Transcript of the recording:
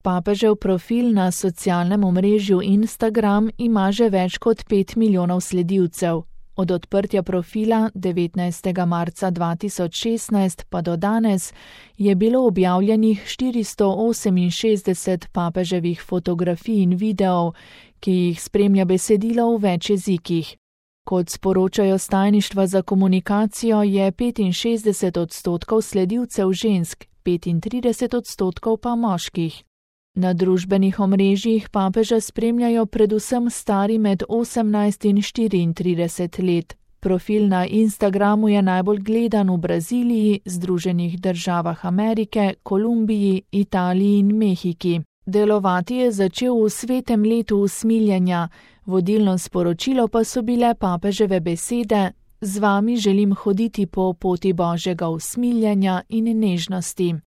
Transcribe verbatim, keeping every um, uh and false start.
Papežev profil na socialnem omrežju Instagram ima že več kot pet milijonov sledilcev. Od odprtja profila devetnajstega marca dva tisoč šestnajst pa do danes je bilo objavljenih štiristo oseminšestdeset papeževih fotografij in videov, ki jih spremlja besedilo v več jezikih. Kot sporočajo s tajništva za komunikacijo, je petinšestdeset odstotkov sledilcev žensk, petintrideset odstotkov pa moških. Na družbenih omrežjih papeža spremljajo predvsem stari med osemnajst in štiriintrideset let. Profil na Instagramu je najbolj gledan v Braziliji, Združenih državah Amerike, Kolumbiji, Italiji in Mehiki. Delovati je začel v svetem letu usmiljenja, vodilno sporočilo pa so bile papeževe besede: "Z vami želim hoditi po poti Božjega usmiljenja in nežnosti."